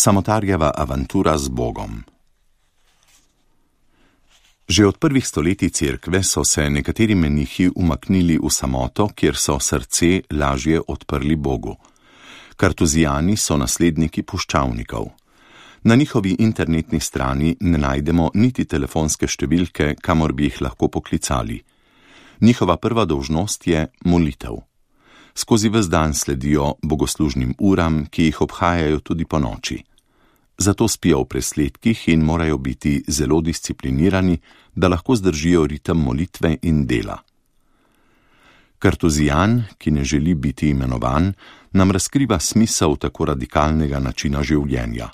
Samotarjeva avantura z Bogom. Že od prvih stoletij cerkve so se nekateri menihi umaknili v samoto, kjer so srce lažje odprli Bogu. Kartuzijani so nasledniki puščavnikov. Na njihovi internetni strani ne najdemo niti telefonske številke, kamor bi jih lahko poklicali. Njihova prva dolžnost je molitev. Skozi ves dan sledijo bogoslužnim uram, ki jih obhajajo tudi po noči. Zato spijo v presledkih in morajo biti zelo disciplinirani, da lahko zdržijo ritem molitve in dela. Kartuzijan, ki ne želi biti imenovan, nam razkriva smisel tako radikalnega načina življenja.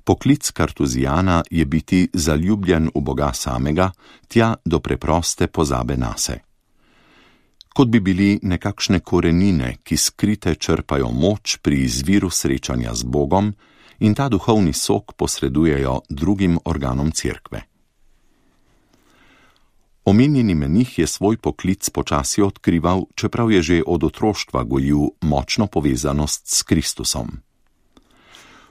Poklic Kartuzijana je biti zaljubljen v Boga samega, tja do preproste pozabe nase. Kot bi bili nekakšne korenine, ki skrite črpajo moč pri izviru srečanja z Bogom in ta duhovni sok posredujejo drugim organom cerkve. Omenjeni menih je svoj poklic počasi odkrival, čeprav je že od otroštva gojil močno povezanost s Kristusom.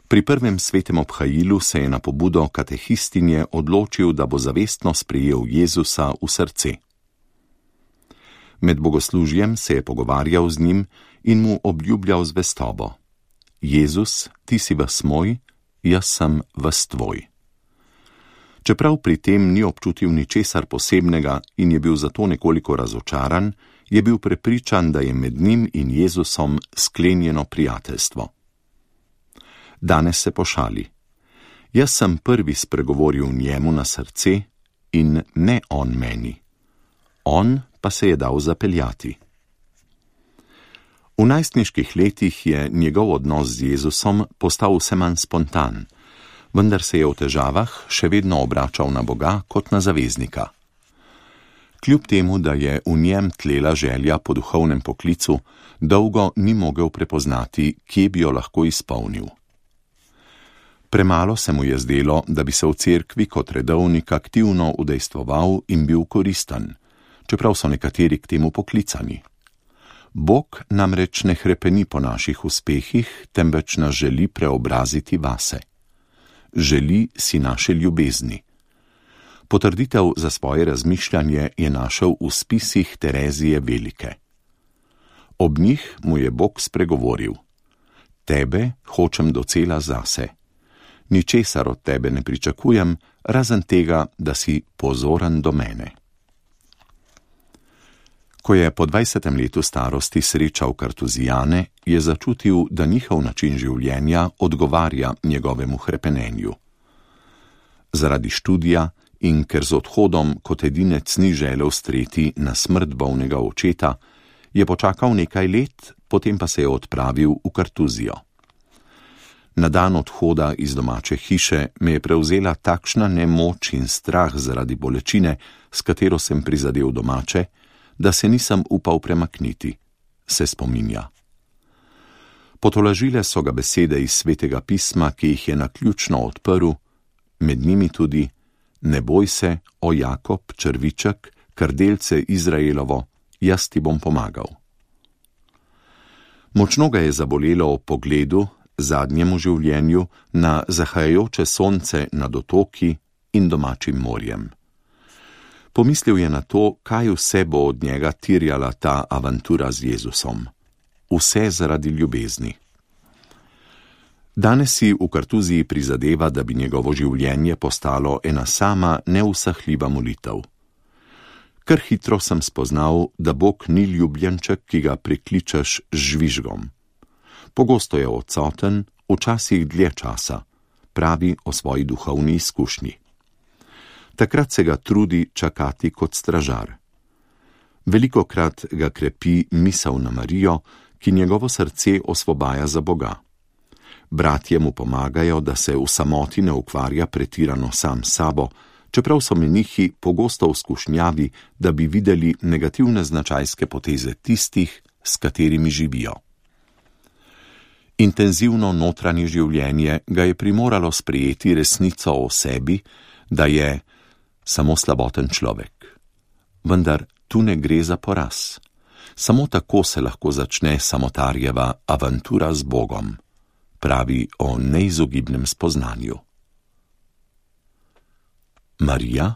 Pri prvem svetem obhajilu se je na pobudo katehistinje odločil, da bo zavestno sprejel Jezusa v srce. Med bogoslužjem se je pogovarjal z njim in mu obljubljal zvestobo. Jezus, ti si ves moj, jaz sem ves tvoj. Čeprav pri tem ni občutil ničesar posebnega in je bil zato nekoliko razočaran, je bil prepričan, da je med njim in Jezusom sklenjeno prijateljstvo. Danes se pošali. Jaz sem prvi spregovoril njemu na srce in ne on meni. On pa se je dal zapeljati. V najstniških letih je njegov odnos z Jezusom postal vse manj spontan, vendar se je v težavah še vedno obračal na Boga kot na zaveznika. Kljub temu, da je v njem tlela želja po duhovnem poklicu, dolgo ni mogel prepoznati, kje bi jo lahko izpolnil. Premalo se mu je zdelo, da bi se v cerkvi kot redovnik aktivno udejstvoval in bil koristen, čeprav so nekateri k temu poklicani. Bog namreč ne hrepeni po naših uspehih, temveč nas želi preobraziti vase. Želi si naše ljubezni. Potrditev za svoje razmišljanje je našel v spisih Terezije Velike. Ob njih mu je Bog spregovoril: Tebe hočem docela zase. Ničesar od tebe ne pričakujem, razen tega, da si pozoren do mene. Ko je po 20. letu starosti srečal Kartuzijane, je začutil, da njihov način življenja odgovarja njegovemu hrepenenju. Zaradi študija in ker z odhodom kot edinec ni želel streti na smrt bolnega očeta, je počakal nekaj let, potem pa se je odpravil v Kartuzijo. Na dan odhoda iz domače hiše me je prevzela takšna nemoč in strah zaradi bolečine, s katero sem prizadel domače, da se nisem upal premakniti, se spominja. Potolažile so ga besede iz Svetega pisma, ki jih je naključno odprl, med njimi tudi: Ne boj se, o Jakob, črviček, krdelce Izraelovo, jaz ti bom pomagal. Močno ga je zabolelo ob pogledu, zadnjemu življenju, na zahajajoče sonce nad otoki in domačim morjem. Pomislil je na to, kaj vse bo od njega terjala ta avantura z Jezusom. Vse zaradi ljubezni. Danes si v Kartuziji prizadeva, da bi njegovo življenje postalo ena sama neusahljiva molitev. Kar hitro sem spoznal, da Bog ni ljubljenček, ki ga prikličeš z žvižgom. Pogosto je odsoten, včasih dlje časa, pravi o svoji duhovni izkušnji. Takrat se ga trudi čakati kot stražar. Velikokrat ga krepi misel na Marijo, ki njegovo srce osvobaja za Boga. Bratje mu pomagajo, da se v samoti ne ukvarja pretirano sam s sabo, čeprav so menihi pogosto v skušnjavi, da bi videli negativne značajske poteze tistih, s katerimi živijo. Intenzivno notranje življenje ga je primoralo sprejeti resnico o sebi, da je samo slaboten človek. Vendar tu ne gre za poraz. Samo tako se lahko začne samotarjeva avantura z Bogom. pravi o neizogibnem spoznanju. Marija,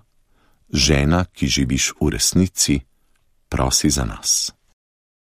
žena, ki živiš v resnici, prosi za nas.